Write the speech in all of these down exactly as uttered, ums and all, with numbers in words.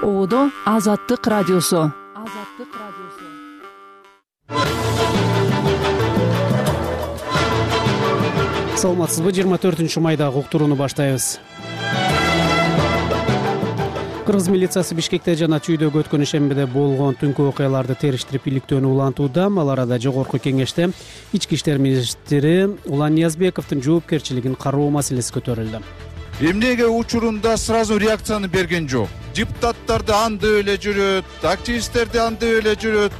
Оодо Азаттык радиосу. Азаттык радиосу. Саламатсызбы? жыйырма төртүнчү майдагы уктурууну баштайбыз. Кыргыз милициясы Бишкекте жана Чүйдөгө өткөн ишембиде болгон түнкү окуяларды териштирип иликтөөнү улантууда. Ал арада жогорку кеңеште ички иштер министри Улан Ниязбековдун жоопкерчилигин кароо маселеси көтөрүлдү. Эмнеге учурунда сразу реакцияны берген жок? Депутаттарды андып эле жүрөт, активисттерди андып эле жүрөт.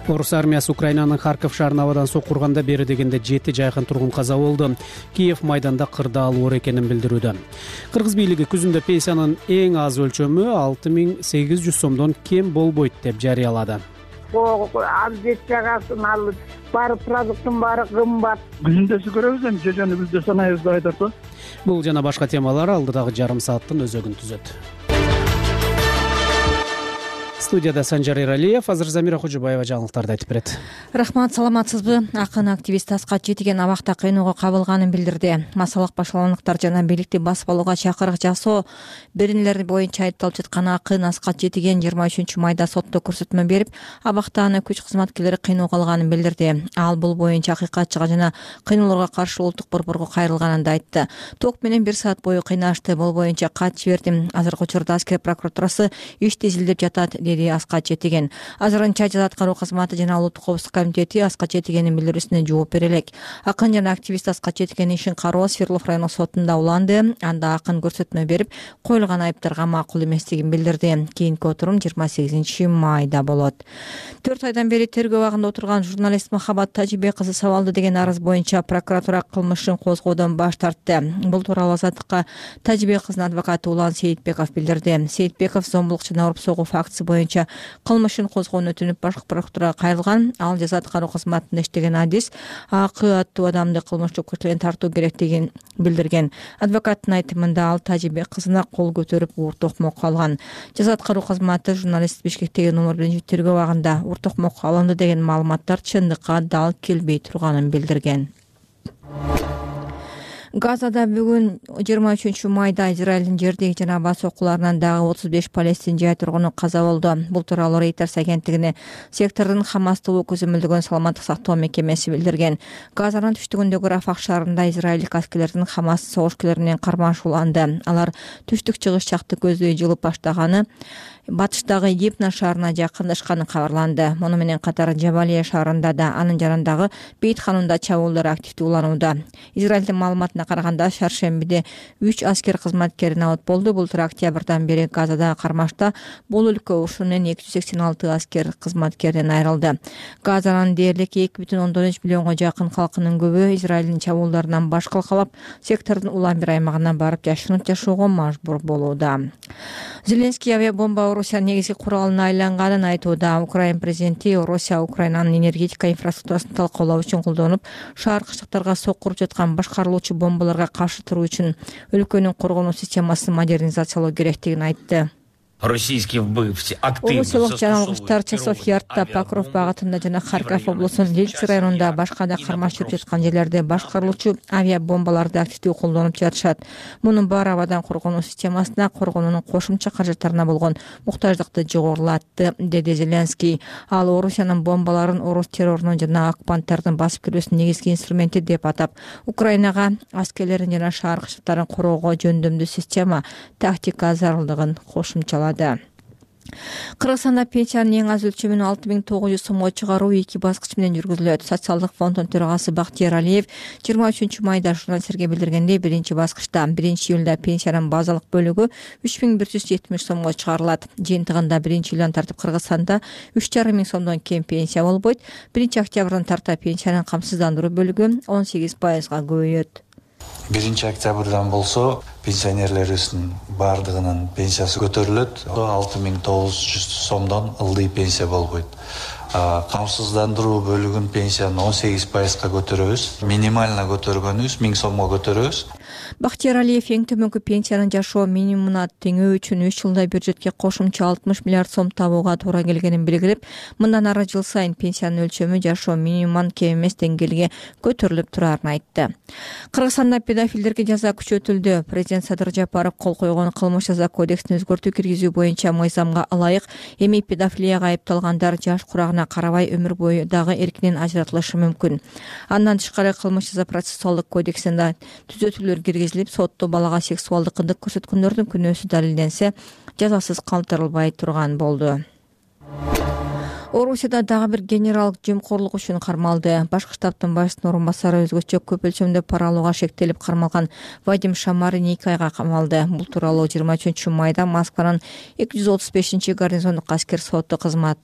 Орус армиясы Украинанын Харков шаарын абадан сокурганда бери дегенде жети жайкын тургун каза болду. Киев майданда кырдаал оор экенин билдирүүдө. Кыргыз бийлиги күзүндө пенсиянын эң аз өлчөмү алты миң сегиз жүз сомдон кем болбойт деп жарыялады. Аз жет жагасын алып, баары продукттун баары кымбат. Күзүндөсү көрөбүз эми, жежени күздө санайбыз деп айтат. Бул жана башка темалар алдыдагы жарым сааттын өзөгүн түзөт. Студияда Санжар Эралиев, азыр Замира Кожобаева жаңылыктарды айтып берет. Рахмат, саламатсызбы? Акын активист Аскат Четиген абакта кыйноого кабылганын билдирди. Масалык башаландыктар жана бийликти басып алууга чакырык жасоо беренелери боюнча айыпталып жаткан акын Аскат Четиген жыйырма үчүнчү майда сотто көрсөтмө берип, абакта аны күч кызматкерлери кыйноого алганын билдирди. Ал бул боюнча акыйкатчыга жана кыйноолорго каршы улуттук борборго кайрылганын да айтты. Ток менен бир саат бою кыйнашты, бул боюнча кат жибердим. Азыркы учурда аскер прокуратурасы ишти изилдеп жатат, деди Аскат Четиген. Азырынча жаза аткаруу кызматы жана улуттук коопсуздук комитети Аскат Четигендин билдирүүсүнө жооп бере элек. Акын жана активист Аскат Четигендин ишин кароо Свердлов райондук сотунда уланды. Анда акын көрсөтмө берип, коюлган айыптарга макул эместигин билдирди. Кийинки отурум жыйырма сегизинчи майда болот. төрт айдан бери тергөө абагында отурган журналист Махабат Тажибек кызы сабалды деген арыз боюнча прокуратура кылмышын козгоодон баш тартты. Бул тууралуу Азаттыкка Тажибек кызынын адвокаты Улан Сейитбеков билдирди. Сейитбеков зомбулук жана уруп согуу фактысы боюнча кылмышын козгоону өтүнүп башкы прокуратурага кайрылган. Ал жаза аткаруу кызматында иштеген адис Акы аттуу адамды кылмыш жоопкерчиликке тартуу керектигин билдирген. Адвокаттын айтымында ал Тажибек кызына кол көтөрүп уур токмокко алган. Жаза аткаруу кызматы журналист Бишкектеги номер биринчи тергөө абагында уур токмокко алынды деген маалыматтар чындыкка дал келбей турганын билдирген. Газада бүгүн жыйырма үчүнчү майда Израилдин жердеги жана бас окууларынан дагы отуз беш палестин жай тургуну каза болду. Бул тууралуу Reuters агенттигине сектордун Хамастуу көзөмөлдөгөн саламаттык сактоо мекемеси билдирген. Газанын түштүгүндөгү Рафах шаарында израилдик аскерлердин Хамас согушкерлеринен кармашы уланды. Алар түштүк чыгыш жакты көздөй жылып баштаганы, батыштагы Гипна шаарына жакындашканы кабарланды. Муну менен катар Жабалия шаарында да, анын жанындагы Бейт ханунда чабуулдар активдүү уланууда. Израилдин маалыматына караганда шаршембиде үч аскер кызматкери набат болду. Бул тура октябрдан бери Газада кармашта бул өлкө урушунун эки жүз сексен алты аскер кызматкеринен айрылды. Газанын дээрлик эки бүтүн ондон үч миллионго жакын калкынын көбү Израилдин чабуулдарынан баш калкалап, сектордун улам бир аймагына барып жашынып жашоого мажбур болууда. Зеленский авиабомба Орусиянын негизги куралына айланганын айтууда. Украин президенти Орусия Украинанын энергетика инфраструктурасын талкуулоо үчүн колдонуп, шаар кыштыктарга сокуруп жаткан башкарылуучу бомбаларга каршы туруу үчүн өлкөнүн коргонуу системасын модернизациялоо керектигин айтты. Орусиялык жаналгычтар Часов Ярдта, Покров багытында жана Харьков облусунун Лильцы районунда башка да кармаш жүрүп жаткан жерлерде башкарылуучу авиабомбаларды активдүү колдонуп жатышат. Мунун баары абадан коргонуу системасына, коргоонун кошумча каражаттарына болгон муктаждыкты жогорулатты, деди Зеленский. Ал Орусиянын бомбаларын орус террорунун жана оккупанттардын басып кирүүсүнүн негизги инструменти деп атап, Украинага аскерлерин жана шаар кыштыктарын короого жөндөмдүү система, тактика зарылдыгын кошумчалады. Кыргызстанда пенсиянын эң аз өлчөмүн алты миң тогуз жүз сомго чыгаруу эки баскыч менен жүргүзүлөт. Социалдык фонддун төрагасы Бактияр Алиев жыйырма үчүнчү майда журналисттерге билдиргендей, биринчи баскычта биринчи июлда пенсиянын базалык бөлүгү үч миң бир жүз жетимиш сомго чыгарылат. Жыйынтыгында биринчи июлдан тартып Кыргызстанда үч жарым миң сомдон кем пенсия болбойт. биринчи октябрдан тарта пенсиянын камсыздандыруу бөлүгү он сегиз пайызга көбөйөт. биринчи октябрдан болсо пенсионерлерибиздин баардыгынын пенсиясы көтөрүлөт. алты миң тогуз жүз сомдон ылдый пенсия болбойт. Камсыздандыруу бөлүгүн пенсияны он сегиз пайызга көтөрөбүз. Минимально көтөргөнүбүз миң сомго көтөрөбүз. Бактияр Алиев эң төмөнкү пенсиянын жашоо минимумуна теңөө үчүн үч жылда бюджетке кошумча алтымыш миллиард сом табууга туура келгенин белгилеп, мындан ары жыл сайын пенсиянын өлчөмү жашоо минимумунан кем эмес деңгээлге көтөрүлүп турарын айтты. Кыргызстанда педофилдерге жаза күчөтүлдү. Президент Садыр Жапаров кол койгон кылмыш жаза кодексине өзгөртүү киргизүү боюнча мыйзамга ылайык эми педофилияга айыпталгандар жаш курагына карабай өмүр бою дагы эркинен ажыратылышы мүмкүн. Андан тышкары кылмыш жаза процессуалдык кодексинде түзөтүүлөр киргизилип, сотто балага сексуалдык кындык көрсөткөндөрдүн күнөөсү далилденсе, жазасыз калтырылбай турган болду. Орусияда дагы бир генерал жемкорлук үчүн кармалды. Башкы штабтын башчысынын орун басары өзгөчө көп өлчөмдө пара алууга шектелип кармалган Вадим Шамарин эки айга камалды. Бул тууралуу жыйырма үчүнчү майда Москванын эки жүз отуз бешинчи гарнизондук аскер соту кызмат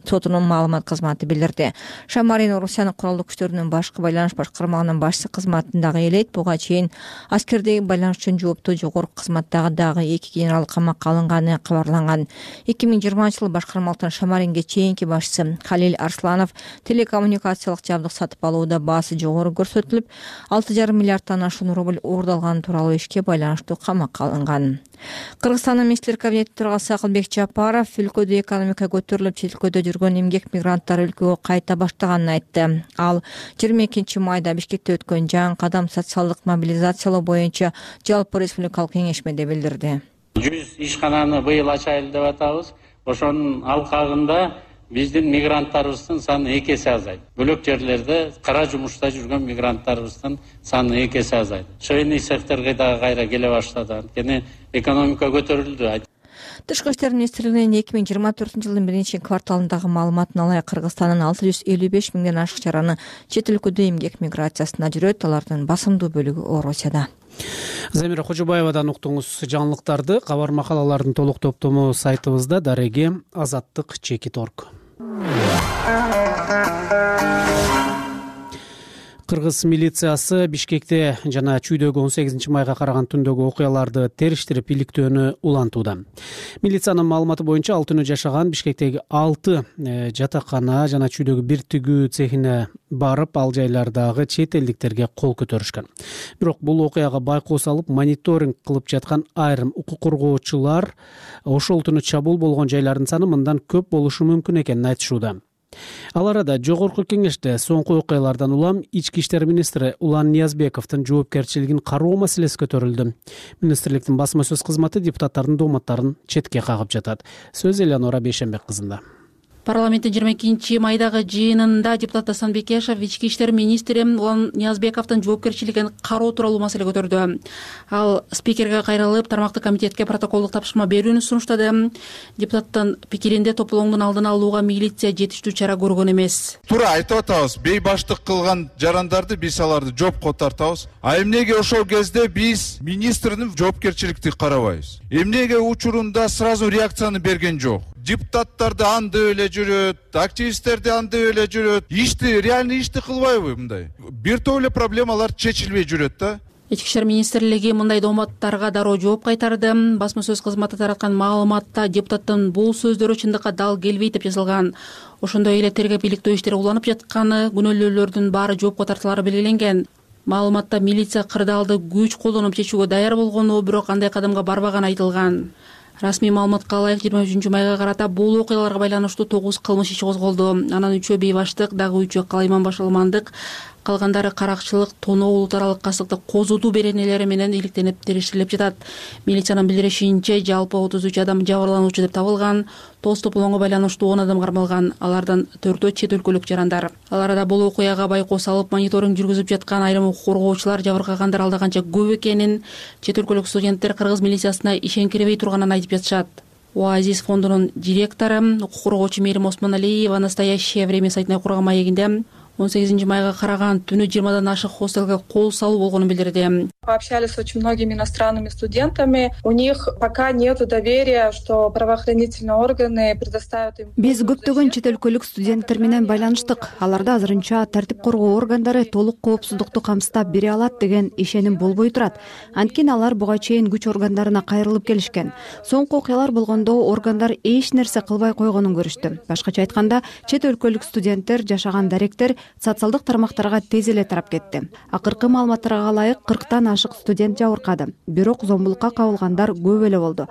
сотунун маалымат кызматы билдирди. Шамарин Орусиянын куралдуу күчтөрүнүн башкы байланыш башкармагынын башчысы кызматындагы элейт. Буга чейин аскердеги байланыш үчүн жооптуу жогорку кызматтагы дагы эки генерал камакка алынганы кабарланган. эки миң жыйырманчы жылы башкармалыктын Шамаринге чейинки башчысы Халил Арсланов телекоммуникациялык жабдык сатып алууда баасы жогору көрсөтүлүп, алты жарым миллиарддан ашуун рубль уурдалганы тууралуу ишке байланыштуу камакка алынган. Кыргызстандын министрлер кабинети төрагасы Акылбек Жапаров өлкөдө экономика көтөрүлүп, чет өлкөдө жүргөн эмгек мигранттар өлкөгө кайта баштаганын айтты. Ал жыйырма экинчи майда Бишкекте өткөн жаңы кадам социалдык мобилизациялоо боюнча жалпы республикалык кеңешмеде билдирди. жүз ишкананы быйыл ачайлы деп атабыз. Ошонун алкагында биздин мигранттарыбыздын саны эки эсе азайды. Бөлөк жерлерде кара жумушта жүргөн мигранттарыбыздын саны эки эсе азайды. Чыйный секторго дагы кайра келе баштады. Анткени экономика көтөрүлдү. Тышкы иштер министрлигинин эки миң жыйырма төртүнчү жылдын биринчи кварталындагы маалыматына ылайык Кыргызстандын алты жүз элүү беш миңден ашык жараны чет өлкөдө эмгек миграциясына жүрөт. Алардын басымдуу бөлүгү Орусияда. Замира Кожобаевадан уктуңуз жаңылыктарды. Кабар макалалардын толук топтому сайтыбызда дареги азаттык чекит точка орг. Кыргыз милициясы Бишкекте жана Чүйдөгү он сегизинчи майга караган түндөгү окуяларды териштирип иликтөөнү улантууда. Милициянын маалыматы боюнча ал түнү жашаган Бишкектеги алты жатакана жана Чүйдөгү бир тигүү цехине барып, ал жайлардагы чет элдиктерге кол көтөрүшкөн. Бирок бул окуяга байкоо салып, мониторинг кылып жаткан айрым укук коргоочулар ошол түнү чабуул болгон жайлардын саны мындан көп болушу мүмкүн экенин айтышууда. Ал арада жогорку кеңеште соңку окуялардан улам ички иштер министри Улан Ниязбековдун жоопкерчилигин кароо маселеси көтөрүлдү. Министрликтин басма сөз кызматы депутаттардын дооматтарын четке кагып жатат. Сөз Элеонора Бейшенбек кызында. Парламенттин жыйырма экинчи майдагы жыйынында депутат Асан Бекешев ички иштер министри Улан Ниязбековдун жоопкерчилигин кароо тууралуу маселе көтөрдү. Ал спикерге кайрылып, тармактык комитетке протоколдук тапшырма берүүнү сунуштады. Депутаттын пикиринде тополооңдун алдын алууга милиция жетиштүү чара көргөн эмес. Туура айтып атабыз, бейбаштык кылган жарандарды биз аларды жоопко тартабыз. А эмнеге ошол кезде биз министрдин жоопкерчиликти карабайбыз? Эмнеге учурунда сразу реакцияны берген жок? Депутаттарды анда эле жүрөт, активисттерди анда эле жүрөт. Ишти, реальный ишти кылбайбы мындай? Бир топ эле проблемалар чечилбей жүрөт да. Ички иштер министрлиги мындай дооматтарга дароо жооп кайтарды. Басма сөз кызматы тараткан маалыматта депутаттын бул сөздөрү чындыкка дал келбейт деп жазылган. Ошондой эле тергеп иликтөө иштери уланып жатканы, күнөөлүүлөрдүн баары жоопко тартылары белгиленген. Маалыматта милиция кырдаалды күч колдонуп чечүүгө даяр болгону, бирок андай кадамга барбаганы айтылган. Расмий маалыматка ылайык жыйырма үчүнчү майга карата бул окуяларга байланыштуу тогуз кылмыш иши козголду. Анан үчөө бейбаштык, дагы үчөө калайман башалмандык, калгандары каракчылык, тоноо, улут аралык кастыкты козутуу беренелери менен иликтенип териштирилип жатат. Милициянын билдиришинче, жалпы отуз үч адам жабырлануучу деп табылган. Тоз тополоңго байланыштуу он адам кармалган. Алардан төртөө чет өлкөлүк жарандар. Ал арада бул окуяга байкоо салып, мониторинг жүргүзүп жаткан айрым укук коргоочулар жабыркагандар алда канча көп экенин, чет өлкөлүк студенттер кыргыз милициясына ишенкиребей турганын айтып жатышат. Оазис фондунун директору, укук коргоочу Мээрим Осмоналиева «Настоящее время» сайтына курган маегинде он сегизинчи майга караган түнү жыйырмадан ашык хостелге кол салуу болгонун билдирди. Пообщались с очень многими иностранными студентами. У них пока нету доверия, что правоохранительные органы предоставят им. Биз көптөгөн чет өлкөлүк студенттер менен байланыштык. Аларда азырынча тартип коргоо органдары толук коопсуздукту камсыздап бере алат деген ишеним болбой турат. Анткени алар буга чейин күч органдарына кайрылып келишкен. Соңку окуялар болгондо органдар эч нерсе кылбай койгонун көрүштү. Башкача айтканда, чет өлкөлүк студенттер жашаган даректер социалдык тармактарга тез эле тарап кетти. Акыркы маалыматтарга ылайык кырктан ашык студент жабыркады, бирок зомбулукка кабылгандар көп эле болду.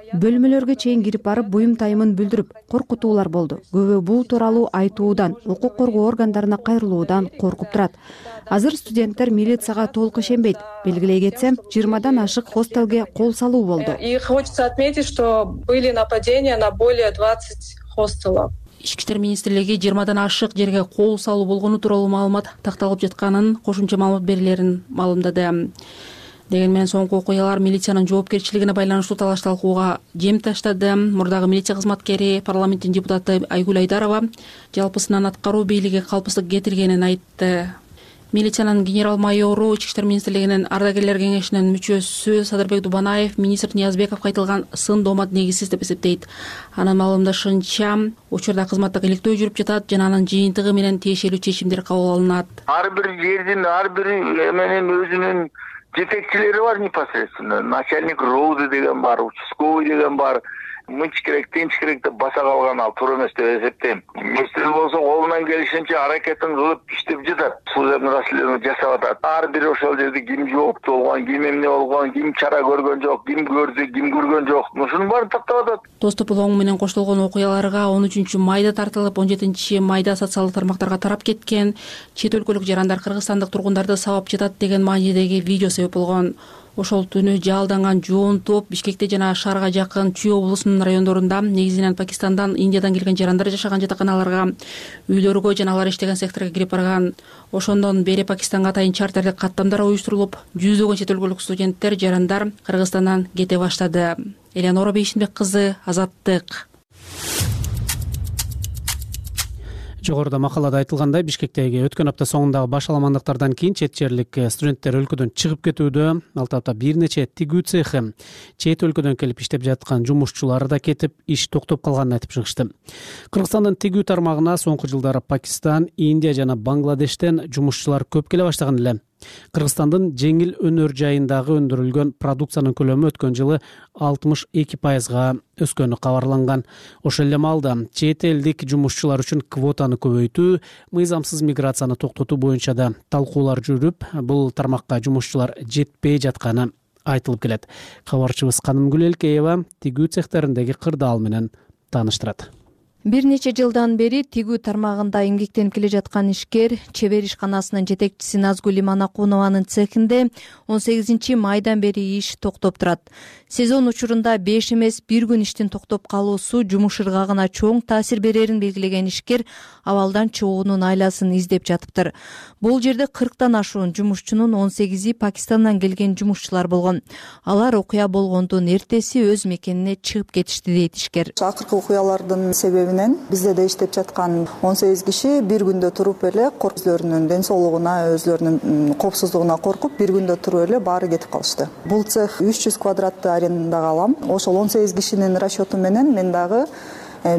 Бөлмөлөргө чейин кирип барып буюм тайымын билдирип коркутуулар болду. Көбү бул тууралуу айтуудан, укук коргоо органдарына кайрылуудан коркуп турат. Азыр студенттер милицияга толук ишенбейт. Белгилей кетсем, жыйырмадан ашык хостелге кол салуу болду. И хочется отметить, что были нападения на более двадцать хостелов. Ички иштер министрлиги жыйырмадан ашык жерге кол салуу болгону тууралуу маалымат такталып жатканын, кошумча маалымат берилерин маалымдады. Деген менен соңку окуялар милициянын жоопкерчилигине байланыштуу талаш талкууга жем таштады. Мурдагы милиция кызматкери, парламенттин депутаты Айгүл Айдарова жалпысынан аткаруу бийлиги калпсыздык кетиргенин айтты. Милициянын генерал-майору, Ички иштер министрлигинин ардагерлер кеңешинин мүчөсү Садырбек Дубанаев министр Ниязбековго айтылган сын доомат негизсиз деп эсептейт. Анын маалымдашынча, учурда кызматтык иликтөө жүрүп жатат жана анын жыйынтыгы менен тиешелүү чечимдер кабыл алынат. Ар бир жердин, ар бир эменин өзүнүн жетекчилери бар непосредственно. Начальник роуды деген бар, участковый деген бар. Мынчы керек, тинч керек деп баса калган ал туура эмес деп эсептейм. Министр болсо колунан келишинче аракетин кылып иштеп жатат. Служебный расследование жасап атат. Ар бир ошол жерде ким жооптуу болгон, ким эмне болгон, ким чара көргөн жок, ким көрдү, ким көргөн жок. Ушунун баарын тактап атат. Доступ улоң менен коштолгон окуяларга он үчүнчү майда тартылып, он жетинчи майда социалдык тармактарга тарап кеткен. Чет өлкөлүк жарандар кыргызстандык тургундарды сабап жатат деген маанидеги видео себеп болгон. Ошол түнү жалданган жоон топ Бишкекте жана шаарга жакын Чүй облусунун райондорунда негизинен Пакистандан, Индиядан келген жарандар жашаган жатаканаларга, үйлөргө жана алар иштеген секторго кирип барган. Ошондон бери Пакистанга атайын чартерлик каттамдар уюштурулуп, жүздөгөн чет өлкөлүк студенттер, жарандар Кыргызстандан кете баштады. Элеонора Бейшинбек кызы, Азаттык. Жогоруда макалада айтылгандай, Бишкектеги өткөн апта соңундагы баш аламандыктардан кийин чет жерлик студенттер өлкөдөн чыгып кетүүдө. Ал тапта бир нече тигүү цехи, чет өлкөдөн келип иштеп жаткан жумушчулары да кетип, иш токтоп калганын айтып чыгышты. Кыргызстандын тигүү тармагына соңку жылдары Пакистан, Индия жана Бангладештен жумушчулар көп келе баштаган эле. Кыргызстандын жеңил өнөр жайындагы өндүрүлгөн продукциянын көлөмү өткөн жылы алтымыш эки пайызга өскөнү кабарланган. Ошол эле маалда чет элдик жумушчулар үчүн квотаны көбөйтүү, мыйзамсыз миграцияны токтотуу боюнча да талкуулар жүрүп, бул тармакка жумушчулар жетпей жатканы айтылып келет. Кабарчыбыз Канымгүл Элкеева тигүү цехтериндеги кырдаал менен тааныштырат. Бир нече жылдан бери тигүү тармагында эмгектенип келе жаткан ишкер чебер ишканасынын жетекчиси Назгүл Иманакунованын цехинде он сегизинчи майдан бери иш токтоп турат. Сезон учурунда беш эмес бир күн иштин токтоп калуусу жумуш ыргагына чоң таасир берерин белгилеген ишкер абалдан чыгуунун айласын издеп жатыптыр. Бул жерде кырктан ашуун жумушчунун он сегизи Пакистандан келген жумушчулар болгон. Алар окуя болгондун эртеси өз мекенине чыгып кетишти дейт ишкер. Акыркы окуялардын себеби бизде да иштеп жаткан он сегиз киши бир күндө туруп эле өзлөрүнүн ден соолугуна, өзлөрүнүн коопсуздугуна коркуп, бир күндө туруп эле баары кетип калышты. Бул цех үч жүз квадратты арендага алам. Ошол он сегиз кишинин расчету менен мен дагы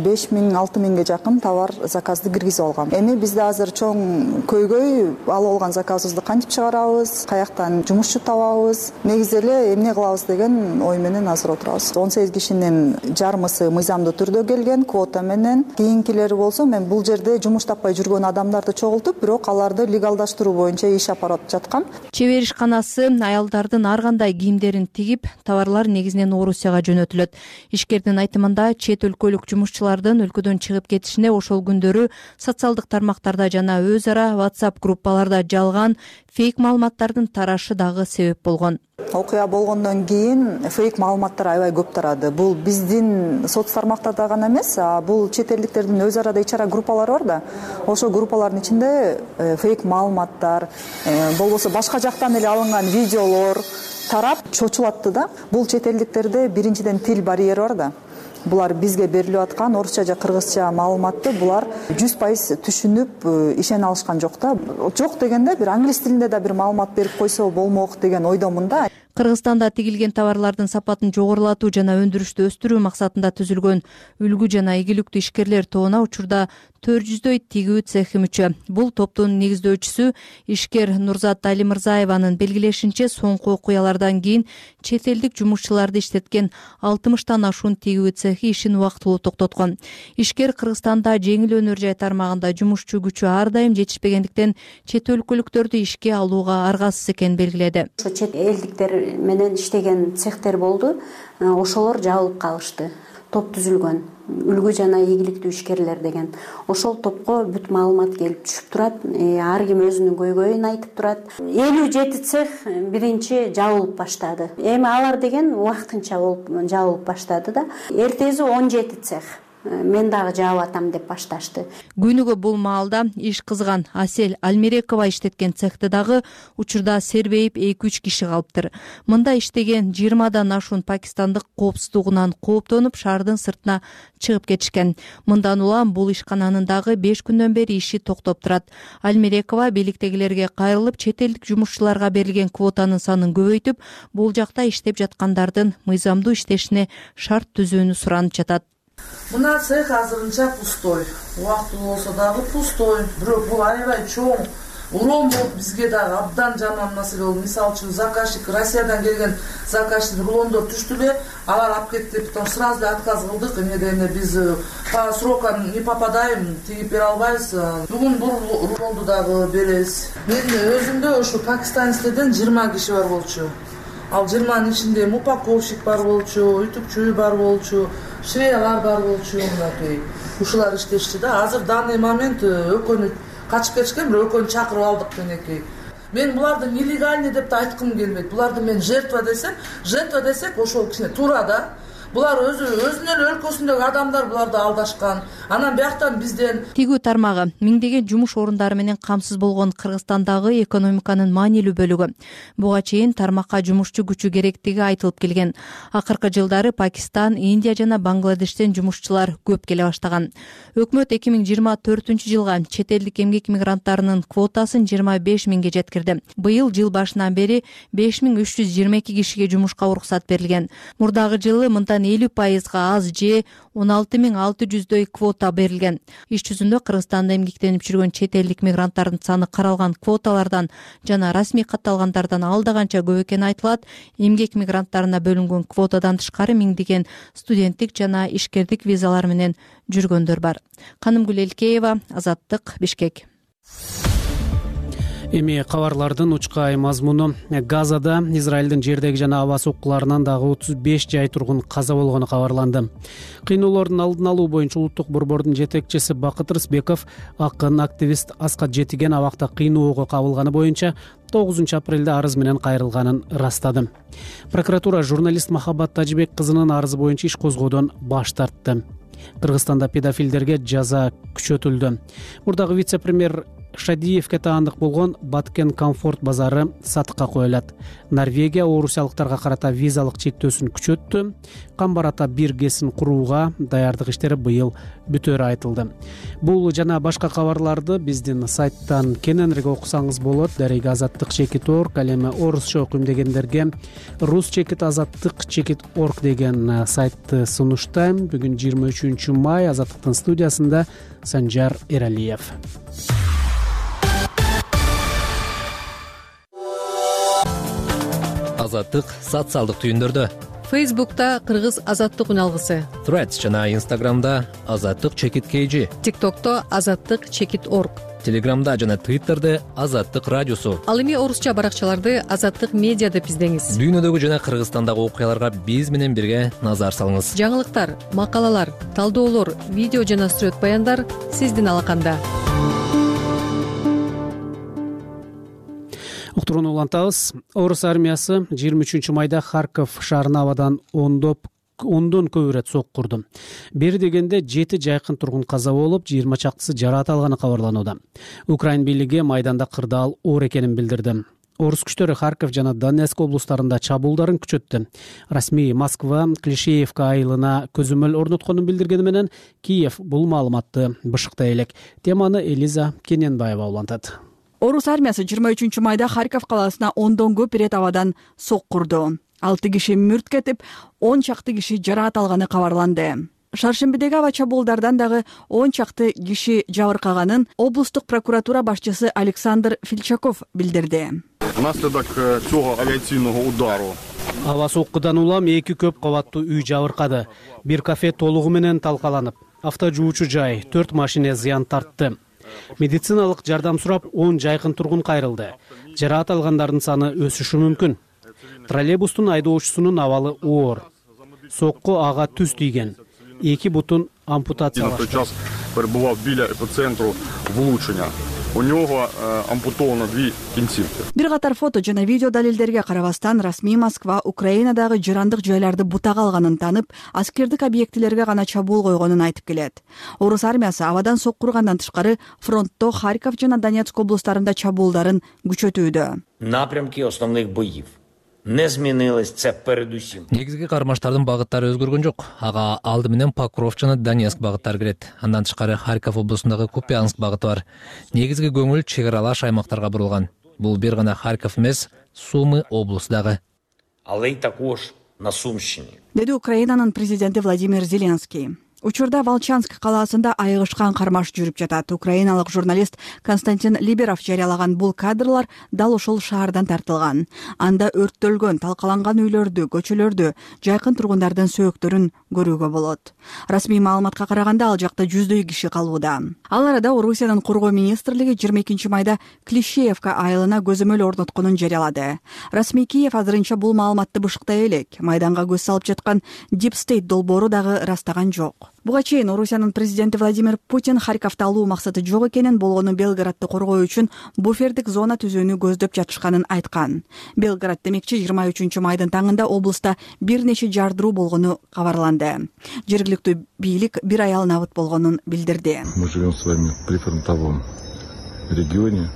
беш миң алты миңге жакын товар заказды киргизип алгам. Эми бизде азыр чоң көйгөй алып алган заказыбызды кантип чыгарабыз, каяктан жумушчу табабыз, негизи эле эмне кылабыз деген ой менен азыр отурабыз. он сегиз кишинин жарымысы мыйзамдуу түрдө келген квота менен. Кийинкилери болсо мен бул жерде жумуш таппай жүргөн адамдарды чогултуп, бирок аларды легалдаштыруу боюнча иш алып жаткам. Чебер ишканасы аялдардын ар кандай кийимдерин тигип, товарлар негизинен Орусияга жөнөтүлөт. Ишкердин айтымында чет өлкөлүк жумуш өлкөдөн чыгып кетишине ошол күндөрү социалдык тармактарда жана өз ара WhatsApp группаларда жалган фейк маалыматтардын тарашы дагы себеп болгон. Окуя болгондон кийин фейк маалыматтар аябай көп тарады. Бул биздин соц тармактарда гана эмес, а бул чет элдиктердин өз арада ич ара группалары бар да. Ошол группалардын ичинде фейк маалыматтар, болбосо башка жактан эле алынган видеолор тарап чочулатты да. Бул чет элдиктерде биринчиден тил барьери бар да. Булар бизге берилип аткан орусча же кыргызча маалыматты булар жүз пайыз түшүнүп ишене алышкан жок да. Жок дегенде бир англис тилинде да бир маалымат берип койсо болмок деген ойдомун да. Кыргызстанда тигилген товарлардын сапатын жогорулатуу жана өндүрүштү өстүрүү максатында түзүлгөн үлгү жана ийгиликтүү ишкерлер тобуна учурда төрт жүздөй тигүү цехи мүчө. Бул топтун негиздөөчүсү ишкер Нурзат Алимырзаеванын белгилешинче, соңку окуялардан кийин чет элдик жумушчуларды иштеткен алтымыштан ашуун тигүү цехи ишин убактылуу токтоткон. Ишкер Кыргызстанда жеңил өнөр жай тармагында жумушчу күчү ар дайым жетишпегендиктен чет өлкөлүктөрдү ишке алууга аргасыз экенин белгиледи. Ошо чет элдиктер менен иштеген цехтер болду, ошолор жабылып калышты. Топ түзүлгөн үлгү жана ийгиликтүү ишкерлер деген. Ошол топко бүт маалымат келип түшүп турат. Ар ким өзүнүн көйгөйүн айтып турат. элүү жети цех биринчи жабылып баштады. Эми алар деген убактынча болуп жабылып баштады да. Эртеси он жети цех. Мен дагы жаап атам деп башташты. Күнүгө бул маалда иш кызган Асель Альмерекова иштеткен цехте дагы учурда сербейип эки үч киши калыптыр. Мында иштеген жыйырмадан ашуун пакистандык коопсуздугунан кооптонуп шаардын сыртына чыгып кетишкен. Мындан улам бул ишкананын дагы беш күндөн бери иши токтоп турат. Альмерекова бийликтегилерге кайрылып, чет элдик жумушчуларга берилген квотанын санын көбөйтүп, бул жакта иштеп жаткандардын мыйзамдуу иштешине шарт түзүүнү суранып жатат. Мына цех азырынча пустой. Убактылуу болсо дагы пустой. Бирок бул аябай чоң урон болуп бизге дагы абдан жаман маселе болду. Мисалы үчүн заказчик Россиядан келген заказчик рулондор түштү эле, алар алып кетти, потом сразу отказ кылдык. Эмнеден биз по срокам не попадаем, тигип бере албайбыз. Бүгүн бул рулонду дагы беребиз. Мен өзүмдө ошо пакистанецтерден жыйырма киши бар болчу. Ал жыйырманын ичинде упаковщик бар болчу, ütүкчү бар болчу, швеялар бар болчу, мынакей. Ушулар иштешти да. Азыр данный момент экөөнү качып кетишкен, бирок экөөнү чакырып алдык менекей. Мен буларды нелегальный деп да айткым келбейт. Буларды мен жертва десем, жертва десек ошол кичине туура да. Булар өзү өзүнүн өлкөсүндөгү адамдар буларды алдашкан. Анан бияктан бизден тигүү тармагы миңдеген жумуш орундары менен камсыз болгон Кыргызстандагы экономиканын маанилүү бөлүгү. Буга чейин тармакка жумушчу күчү керектиги айтылып келген. Акыркы жылдары Пакистан, Индия жана Бангладештен жумушчулар көп келе баштаган. Өкмөт эки миң жыйырма төртүнчү жылга чет элдик эмгек мигранттарынын квотасын жыйырма беш миңге жеткирди. Быйыл жыл башынан бери беш миң үч жүз жыйырма эки кишиге жумушка уруксат берилген. Мурдагы жылы мындан элүү пайызга аз же он алты миң алты жүздөй квота берилген. Иш жүзүндө Кыргызстанда эмгектенип жүргөн чет элдик мигранттардын саны каралган квоталардан жана расмий катталгандардан алда канча көп экени айтылат. Эмгек мигранттарына бөлүнгөн квотадан тышкары миңдеген студенттик жана ишкердик визалар менен жүргөндөр бар. Канымгүл Элкеева, Азаттык, Бишкек. Эми кабарлардын учкай мазмуну. Газада Израилдин жердеги жана аба соккуларынан дагы отуз беш жай тургун каза болгону кабарланды. Кыйноолордун алдын алуу боюнча улуттук борбордун жетекчиси Бакыт Рысбеков акын активист Аскат Жетиген абакта кыйноого кабылганы боюнча тогузунчу апрелде арыз менен кайрылганын ырастады. Прокуратура журналист Махаббат Тажибек кызынын арызы боюнча иш козгоодон баш тартты. Кыргызстанда педофилдерге жаза күчөтүлдү. Мурдагы вице-премьер Шадиевке таандык болгон Баткен комфорт базары сатыкка коюлат. Норвегия орусиялыктарга карата визалык чектөөсүн күчөттү. Камбар ата бир гэсин курууга даярдык иштери быйыл бүтөөрү айтылды. Бул жана башка кабарларды биздин сайттан кененирээк окусаңыз болот. Дареги азаттык чекит орг, ал эми орусча окуйм дегендерге рус чекит азаттык чекит орг деген сайтты сунуштайм. Бүгүн жыйырма үчүнчү май, Азаттыктын студиясында Санжар Эралиев. Азаттык социалдык түйүндөрдө. Фейсбукта Кыргыз азаттык үналгысы. Threads жана Instagramда азаттык чекит kg. TikTokто азаттык чекит орг. Телеграмда жана Twitterде азаттык радиосу. Ал эми орусча баракчаларды Азаттык медиа деп издеңиз. Дүйнөдөгү жана Кыргызстандагы окуяларга биз менен бирге назар салыңыз. Жаңылыктар, макалалар, талдоолор, видео жана сүрөт баяндар сиздин алаканда. Уктурууну улантабыз. Орус армиясы жыйырма үчүнчү майда Харков шаарын абадан ондоп ондон көп ирет соккурду. Бери дегенде жети жайкын тургун каза болуп, жыйырма чактысы жараат алганы кабарланууда. Украин бийлиги майданда кырдаал оор экенин билдирди. Орус күчтөрү Харков жана Донецк облустарында чабуулдарын күчөттү. Расмий Москва Клишеевка айылына көзөмөл орнотконун билдиргени менен Киев бул маалыматты бышыктай элек. Теманы Элиза Кененбаева улантат. Орус армиясы жыйырма үчүнчү майда Харьков калаасына ондон көп ирет абадан сок курду. алты киши мүрт кетип, он чакты киши жараат алганы кабарланды. Шаршембидеги аба чабуулдардан дагы он чакты киши жабыркаганын облустук прокуратура башчысы Александр Филчаков билдирди. Внаследок цього авиацийного удару аба соккудан улам эки көп кабаттуу үй жабыркады. Бир кафе толугу менен талкаланып, авто жуучу жай, төрт машина зыян тартты. Медициналык жардам сурап он жайкын тургун кайрылды. Жараат алгандардын саны өсүшү мүмкүн. Троллейбустун айдоочусунун абалы оор. Сокку ага түз тийген. Эки бутун ампутациялашты. Сейчас перебував біля епицентру влучення. У нього ампутовано дві кінцівки. Бир катар фото жана видео далилдерге карабастан расмий Москва Украинадагы жырандык жайларды бутага алганын танып, аскердик объектилерге гана чабуул койгонун айтып келет. Орус армиясы абадан сок кургандан тышкары фронтто Харьков жана Донецк облустарында чабуулдарын күчөтүүдө. Напрямки основных боев не змінились, це передусім. Негизги кармаштардын багыттары өзгөргөн жок. Ага алды менен Покров жана Донецк багыттары кирет. Андан тышкары Харьков облусундагы Купянск багыты бар. Негизги көңүл чек аралаш аймактарга бурулган. Бул бир гана Харьков эмес, Сумы облусу дагы. Але й також на Сумщині. Деди Украинанын президенти Владимир Зеленский. Учурда Волчанск калаасында айыгышкан кармаш жүрүп жатат. Украиналык журналист Константин Либеров жарыялаган бул кадрлар дал ошол шаардан тартылган. Анда өрттөлгөн, талкаланган үйлөрдү, көчөлөрдү, жайкын тургундардын сөөктөрүн көрүүгө болот. Расмий маалыматка караганда ал жакта жүздөй киши калууда. Ал арада Орусиянын коргоо министрлиги жыйырма экинчи майда Клещеевка айылына көзөмөл орнотконун жарыялады. Расмий Киев азырынча бул маалыматты бышыктай элек. Майданга көз салып жаткан Deep State долбоору дагы ырастаган жок. Буга чейин Орусиянын президенти Владимир Путин Харьковду алуу максаты жок экенин, болгону Белградты коргоо үчүн буфердик зона түзүүнү көздөп жатышканын айткан. Белград демекчи жыйырма үчүнчү майдын таңында облуста бир нече жардыруу болгону кабарланды. Жергиликтүү бийлик бир аял набыт болгонун билдирди. Мы живем с вами в прифронтовом регионе.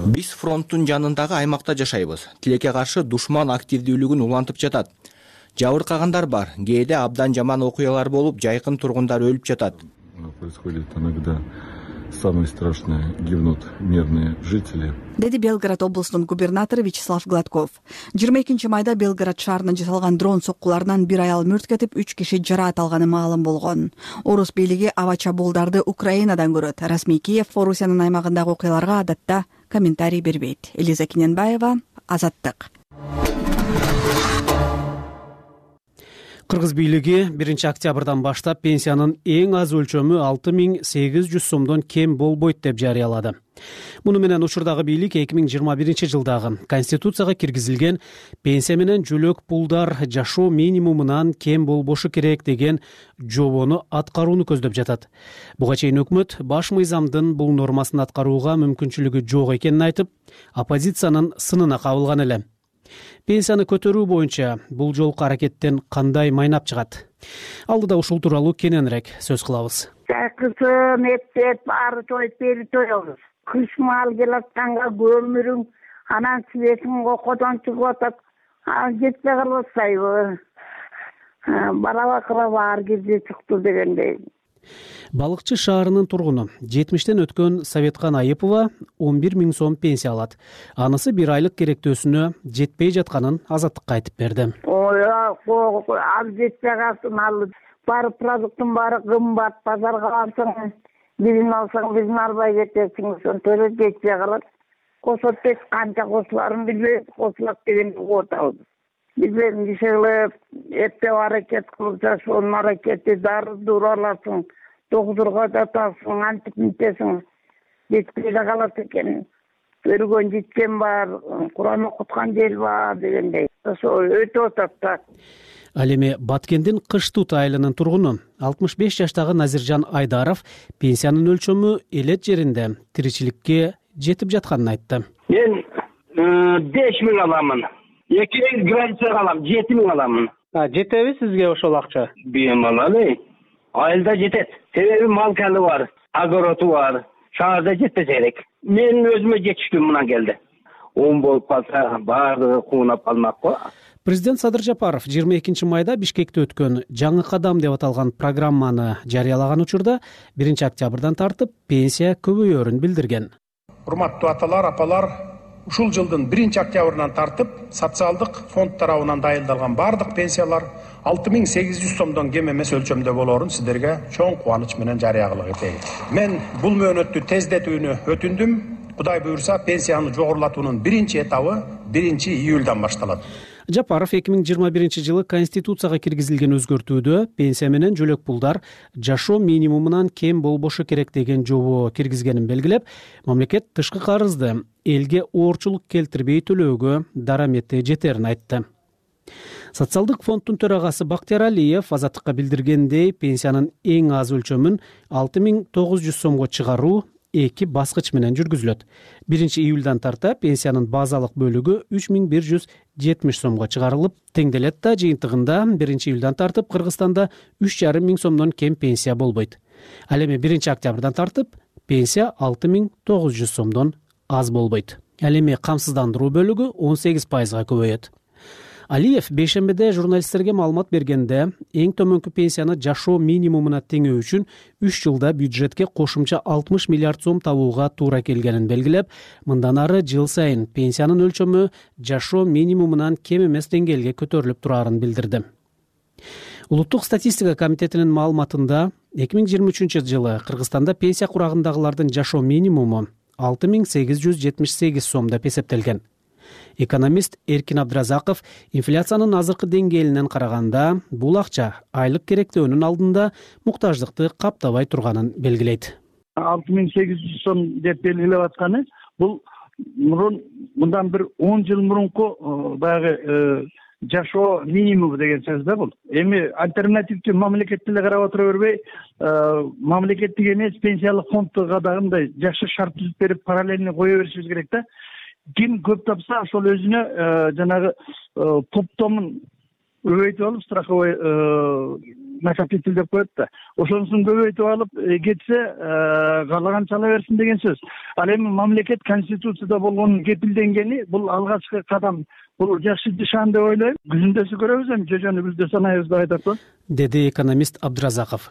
Биз фронттун жанындагы аймакта жашайбыз. Тилекке каршы душман активдүүлүгүн улантып жатат. Жабыркагандар бар, кээде абдан жаман окуялар болуп, жайкын тургундар өлүп жатат. Происходит иногда самые страшные, гибнут мирные жители. Деди Белград облусунун губернатору Вячеслав Гладков. жыйырма экинчи майда Белград шаарынан жасалган дрон соккуларынан бир аял мүрт кетип, үч киши жараат алганы маалым болгон. Орус бийлиги аба чабуулдарды Украинадан көрөт. Расмий Киев Орусиянын аймагындагы окуяларга адатта комментарий бербейт. Элиза Киненбаева, Азаттык. Кыргыз бийлиги биринчи октябрдан баштап пенсиянын эң аз өлчөмү алты миң сегиз жүз сомдон кем болбойт деп жарыялады. Муну менен учурдагы бийлик эки миң жыйырма биринчи жылдагы Конституцияга киргизилген пенсия менен жөлөк пулдар жашоо минимумунан кем болбошу керек деген жобону аткарууну көздөп жатат. Буга чейин өкмөт баш мыйзамдын бул нормасын аткарууга мүмкүнчүлүгү жок экенин айтып, оппозициянын сынына кабылган эле. Пенсияны көтөрүү боюнча бул жолку аракеттен кандай майнап чыгат? Алдыда ушул тууралуу кененирээк сөз кылабыз. Жакысын эптеп, ары тоюп бери тоебуз. Кыш маал келатканга көмүрүң, анан светиң окодон чыгып атат. Жетпей калбасайбы? Бара-бакыра баар кезде чыкты дегендей. Балыкчы шаарынын тургуну жетимиштен өткөн Советкан Айыпова он бир миң сом пенсия алат. Анысы бир айлык керектөөсүнө жетпей жатканын Азаттыкка айтып берди. Ой, ал жетпей калсын, ал баары продукттун баары кымбат, базарга барсаң, бирин алсаң, бирин албай кетесиң, ошентип жетпей калат. Косот беш канча косуларын билбейбиз, косулат дегенди угутабыз. Билбейм, кишилер эптеп аракет кылып жашоонун аракети, дары дуура аласың. Доктурга жатасың, антип мынтесиң, жетпей да калат экен. Көргөн жеткен бар, Куран окуткан жер бар дегендей. Ошо өтүп атат да. Ал эми Баткендин Кыш Тут айылынын тургуну алтымыш беш жаштагы Назиржан Айдаров пенсиянын өлчөмү элет жеринде тиричиликке жетип жатканын айтты. Мен беш миң аламын. эки миң границага алам, жети миң аламын. Жетеби сизге ошол акча? Бем алалы. Айылда жетет. Себеби малкалы бар, огороду бар. Шаарда жетпесе керек. Мен өзүмө жетиштүү мына келди. Он болуп калса баардыгы куунап калмак го. Президент Садыр Жапаров жыйырма экинчи майда Бишкекте өткөн жаңы кадам деп аталган программаны жарыялаган учурда биринчи октябрдан тартып пенсия көбөйөрүн билдирген. урматтуу аталар, апалар, ушул жылдын биринчи октябрынан тартып социалдык фонд тарабынан дайындалган бардык пенсиялар алты миң сегиз жүз сомдон кем эмес өлчөмдө болоорун сиздерге чоң кубаныч менен жарыя кылып кетейин. Мен бул мөөнөттү тездетүүнү өтүндүм. Кудай буйрса, пенсияны жогорулатуунун биринчи этабы биринчи июлдан башталат. Жапаров эки миң жыйырма биринчи жылы Конституцияга киргизилген өзгөртүүдө пенсия менен жөлөк пулдар жашоо минимумунан кем болбошу керек деген жобо киргизгенин белгилеп, мамлекет тышкы карызды элге оорчулук келтирбей төлөөгө дарамети жетерин айтты. Социалдык фонддун төрагасы Бактияр Алиев Азаттыкка билдиргендей, пенсиянын эң аз өлчөмүн алты миң тогуз жүз сомго чыгаруу эки баскыч менен жүргүзүлөт. биринчи июлдан тарта пенсиянын базалык бөлүгү үч миң бир жүз жетимиш сомго чыгарылып, теңделет да жыйынтыгында биринчи июлдан тартып Кыргызстанда үч жарым миң сомдон кем пенсия болбойт. Ал эми биринчи октябрдан тартып пенсия алты миң тогуз жүз сомдон аз болбойт. Ал эми камсыздандыруу бөлүгү он сегиз пайызга көбөйөт. Алиев бейшембиде журналисттерге маалымат бергенде, эң төмөнкү пенсияны жашоо минимумуна теңөө үчүн үч жылда бюджетке кошумча алтымыш миллиард сом табууга туура келгенин белгилеп, мындан ары жыл сайын пенсиянын өлчөмү жашоо минимумунан кем эмес деңгээлге көтөрүлүп турарын билдирди. Улуттук статистика комитетинин маалыматында эки миң жыйырма үчүнчү жылы Кыргызстанда пенсия курагындагылардын жашоо минимуму алты миң сегиз жүз жетимиш сегиз сом деп эсептелген. Экономист Эркин Абдразаков инфляциянын азыркы деңгээлинен караганда бул акча айлык керектөөнүн алдында муктаждыкты каптабай турганын белгилейт. алты миң сегиз жүз сом деп белгилеп атканы бул мурун мындан бир он жыл мурунку баягы жашоо минимуму деген сөз да бул. Эми альтернативдүү мамлекетти эле карап отура бербей, мамлекеттик эмес пенсиялык фондго дагы мындай жакшы шарт түзүп берип, параллельно кое беришибиз керек да. Ким көп тапса, ошол өзүнө жанагы топтомун көбөйтүп алып, страховой накопитель деп коет да. Ошонусун көбөйтүп алып кетсе, каалаганча ала берсин деген сөз. Ал эми мамлекет Конституцияда болгон кепилденгени бул алгачкы кадам. Бул жакшы нишан деп ойлойм. Күзүндөсү көрөбүз, эми жожону күздө санайбыз деп айтат го. Деди экономист Абдразаков.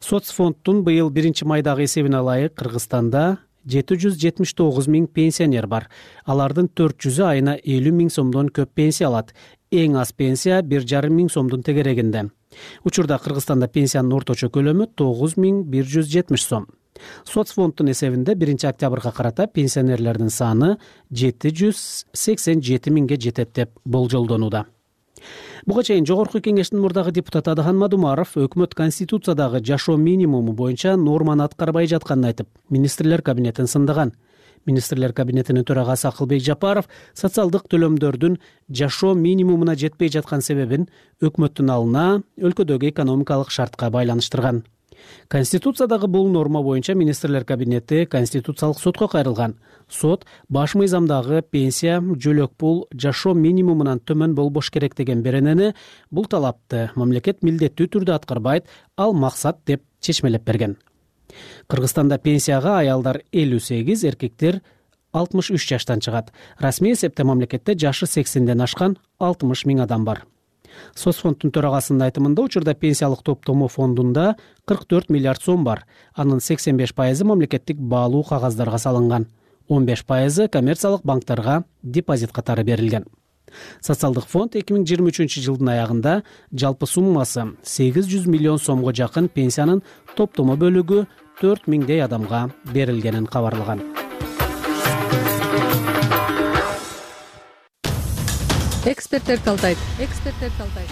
Соцфонддун быйыл биринчи майдагы эсебине ылайык Кыргызстанда жети жүз жетимиш тогуз миң пенсионер бар. Алардын төрт жүзү айына элүү миң сомдон көп пенсия алат. Эң аз пенсия бир жарым миң сомдун тегерегинде. Учурда Кыргызстанда пенсиянын орточо көлөмү тогуз миң бир жүз жетимиш сом. Соцфонддун эсебинде биринчи октябрга карата пенсионерлердин саны жети жүз сексен жети миңге жетет деп болжолдонууда. Буга чейин Жогорку Кеңештин мурдагы депутаты Адахан Мадумаров өкмөт Конституциядагы жашоо минимуму боюнча норманы аткарбай жатканын айтып, министрлер кабинетин сындаган. Министрлер кабинетинин төрагасы Акылбек Жапаров социалдык төлөмдөрдүн жашоо минимумуна жетпей жаткан себебин өкмөттүн алына өлкөдөгү экономикалык шартка байланыштырган. Конституциядагы бул норма боюнча министрлер кабинети Конституциялык сотко кайрылган. Сот баш мыйзамдагы пенсия жөлөк пул жашоо минимумунан төмөн болбош керек деген беренени бул талапты мамлекет милдеттүү түрдө аткарбайт, ал максат деп чечмелеп берген. Кыргызстанда пенсияга аялдар элүү сегиз, эркектер алтымыш үч жаштан чыгат. Расмий эсепте мамлекетте жашы сексенден ашкан алтымыш миң адам бар. Соцфонддун төрагасынын айтымында учурда пенсиялык топтому фондунда кырк төрт миллиард сом бар. Анын сексен беш пайызы мамлекеттик баалуу кагаздарга салынган. он беш пайызы коммерциялык банктарга депозит катары берилген. Социалдык фонд эки миң жыйырма үчүнчү жылдын аягында жалпы суммасы сегиз жүз миллион сомго жакын пенсиянын топтому бөлүгү төрт миңдей адамга берилгенин кабарлаган. Эксперттер талдайт. Эксперттер талдайт.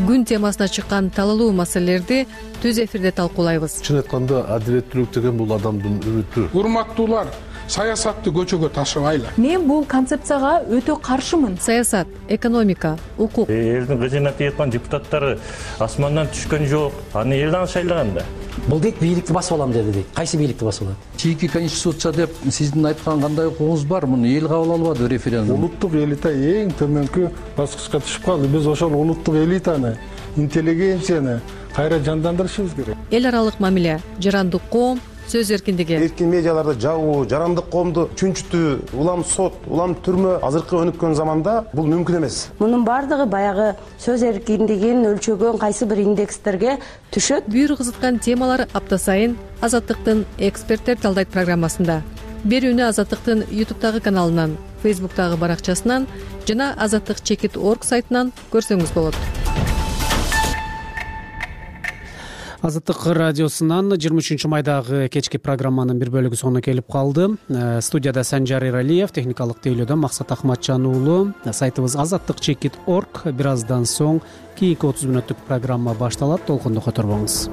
Күн темасына чыккан талалуу маселелерди түз эфирде талкуулайбыз. Чын айтканда адилеттүүлүк деген бул адамдын үмүтү. Урматтуулар, саясатты көчөгө ташыбайлы. Мен бул концепцияга өтө каршымын. Саясат, экономика, укук. Элдин кыжына тийип депутаттары асмандан түшкөн жок. Аны элден шайлаган да. Бул дейт бийликти басып алам деди дейт. Кайсы бийликти басып алат? Чийки конституция деп сиздин айткан кандай укугуңуз бар? Муну эл кабыл албады референдум. Улуттук элита эң төмөнкү баскычка түшүп калды. Биз ошол улуттук элитаны, интеллигенцияны кайра жандандырышыбыз керек. Эл аралык мамиле, жарандык коом, сөз эркиндиги. Эркин медиаларда жабуу, жарандык коомду чүнчүтүү, улам сот, улам түрмө азыркы өнүккөн заманда бул мүмкүн эмес. Мунун бардыгы баягы сөз эркиндигин өлчөгөн кайсы бир индекстерге түшөт. Бүйүр кызыткан темалар апта сайын Азаттыктын эксперттер талдайт программасында. берүүнү Азаттыктын ютубтагы каналынан, фейсбуктагы баракчасынан жана азаттык чекит орг сайтынан көрсөңүз болот. Азаттык радиосунан жыйырма үчүнчү майдагы кечки программанын бир бөлүгү соңуна келип калды. Студияда Санжар Эралиев, техникалык тейлөөдөн Максат Ахматжан уулу. Сайтыбыз азаттык чекит орг. Бир аздан соң кийинки отуз мүнөттүк программа башталат. Толкунду которбоңуз.